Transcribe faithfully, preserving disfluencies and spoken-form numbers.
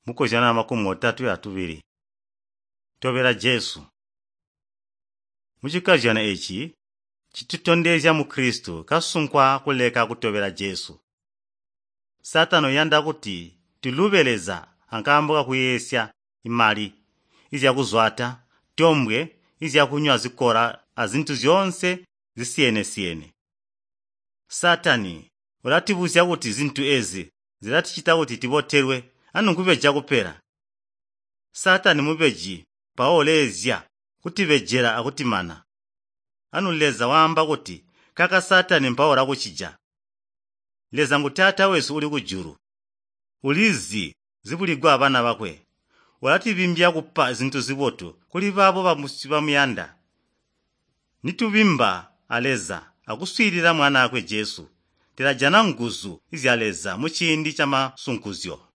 Mukozyano makumi otatwe atubili. Tobela Jesu. Muchikozyano eeci citutondezya muKristu kasunkwa kuleka kutobela Jesu. Saatani uyanda kuti tulube Leza akaambo kakuyeeyesya imali, izyakuzwaata, tombwe, izyakunywa zikola azintu zyoonse zisiyene-siyene. Saatani ulatibuzya kuti zintu eezi zilaticita kuti tibotelwe anu nkubeja kupela. Saatani mubeji mpawo uleezya kutibejela akutimana. Anu Leza waamba kuti kaka Saatani mpawo ulakucija. Leza ngu Taata wesu uli kujulu. Ulizi zibuligwa abana bakwe. Ulatibimbya kupa zintu zibotu kuli baabo bamuyanda. Nitubimba a Leza akuswiilila Mwanaakwe Jesu, tilajana nguzu zya Leza muciindi camasunkuzyo.